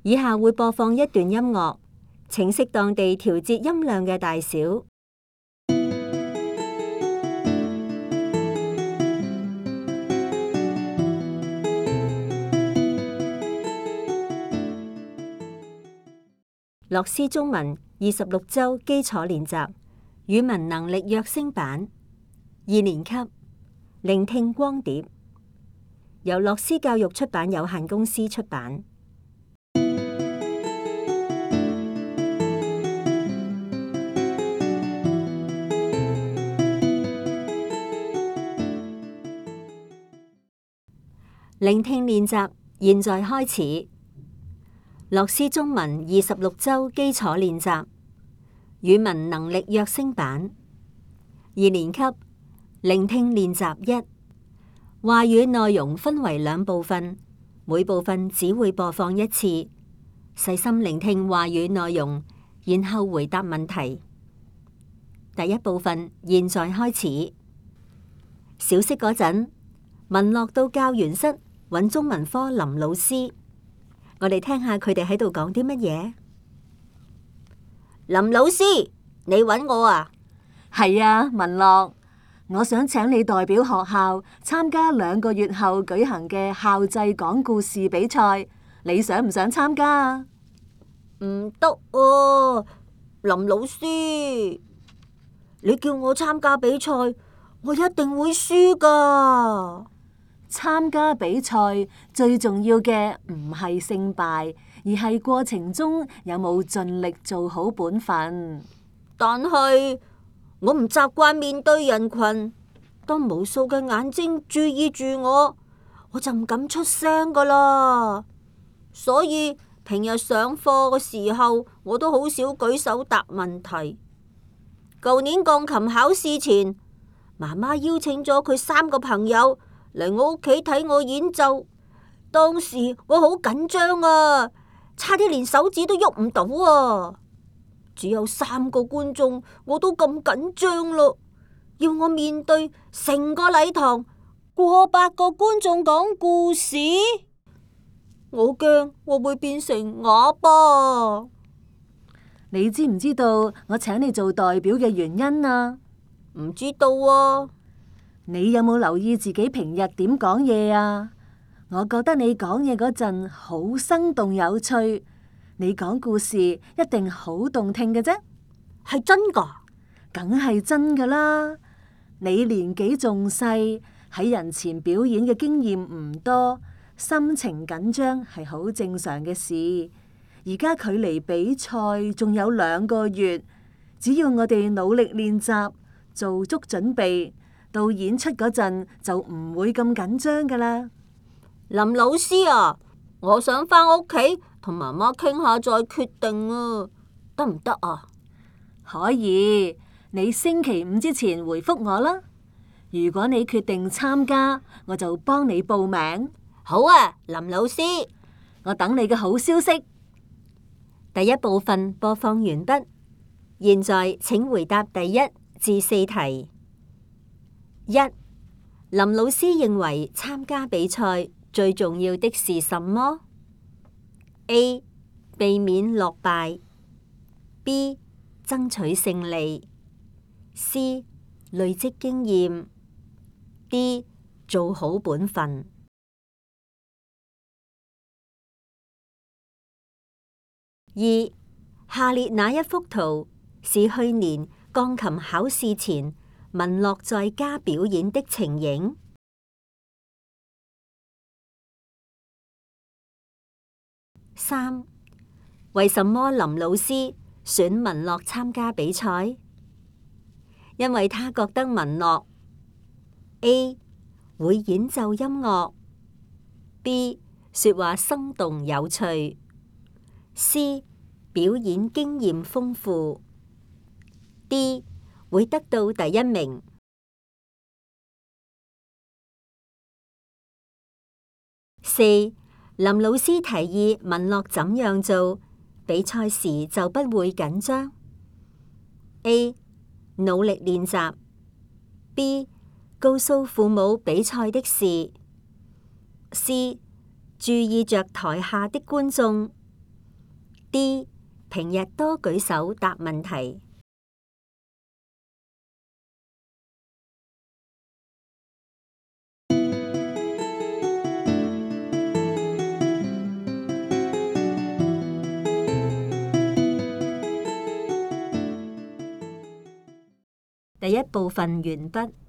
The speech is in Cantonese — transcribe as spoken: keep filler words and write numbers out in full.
以下會播放一段音樂，請適當地調節音量嘅大小。樂師中文二十六週基礎練習語文能力躍升版二年級聆聽光碟，由樂師教育出版有限公司出版。聆聽練習現在開始。樂師中文二十六週基礎練習語文能力躍升版二年級聆聽練習一。話語內容分為兩部分，每部分只會播放一次。細心聆聽話語內容，然後回答問題。第一部分現在開始。小息嗰陣，文樂到教員室揾中文科林老師。我哋聽下佢哋喺度講啲乜嘢。林老師，你揾我啊？係啊，文樂，我想請你代表學校參加兩個月後舉行嘅校際講故事比賽，你想唔想參加啊？唔得啊，林老師，你叫我參加比賽，我一定會輸㗎。參加比賽最重要嘅唔係勝敗，而係過程中有冇盡力做好本分。但係我唔習慣面對人群，當無數嘅眼睛注意住我，我就唔敢出聲㗎喇。所以平日上課嘅時候，我都好少舉手答問題。舊年鋼琴考試前，媽媽邀請咗佢三個朋友嚟我屋企睇我演奏，當時我好緊張啊，差啲連手指都喐唔到啊！只有三個觀眾，我都咁緊張咯，要我面對成個禮堂過百個觀眾講故事，我驚我會變成啞巴。你知唔知道我請你做代表嘅原因啊？唔知道啊。你有冇留意自己平日點講嘢啊？我覺得你講嘢嗰陣好生動有趣，你講故事一定好動聽嘅啫。係真㗎？梗係真㗎啦！你年紀仲細，喺人前表演嘅經驗唔多，心情緊張係好正常嘅事。而家距離比賽仲有兩個月，只要我哋努力練習，做足準備，到演出嗰陣就唔會咁緊張噶啦。林老師啊，我想返屋企同媽媽傾下再決定啊，得唔得啊？可以，你星期五之前回覆我啦。如果你決定參加，我就幫你報名。好啊，林老師，我等你嘅好消息。第一部分播放完畢，現在請回答第一至四題。一、林老師認為參加比賽最重要的是什麼 ？A. 避免落敗 B. 爭取勝利 C. 累積經驗 D. 做好本分。二、下列哪一幅圖是去年鋼琴考試前文樂在家表演的情形？三、為什麼林老師選文樂參加比賽？因為他覺得文樂 A. 會演奏音樂 B. 說話生動有趣 C. 表演經驗豐富 D. 會得到第一名。四、林老師提議文樂怎樣做，比賽時就不會緊張 A. 努力練習 B. 告訴父母比賽的事 C. 注意着台下的觀眾 D. 平日多舉手答問題。第一部分完畢。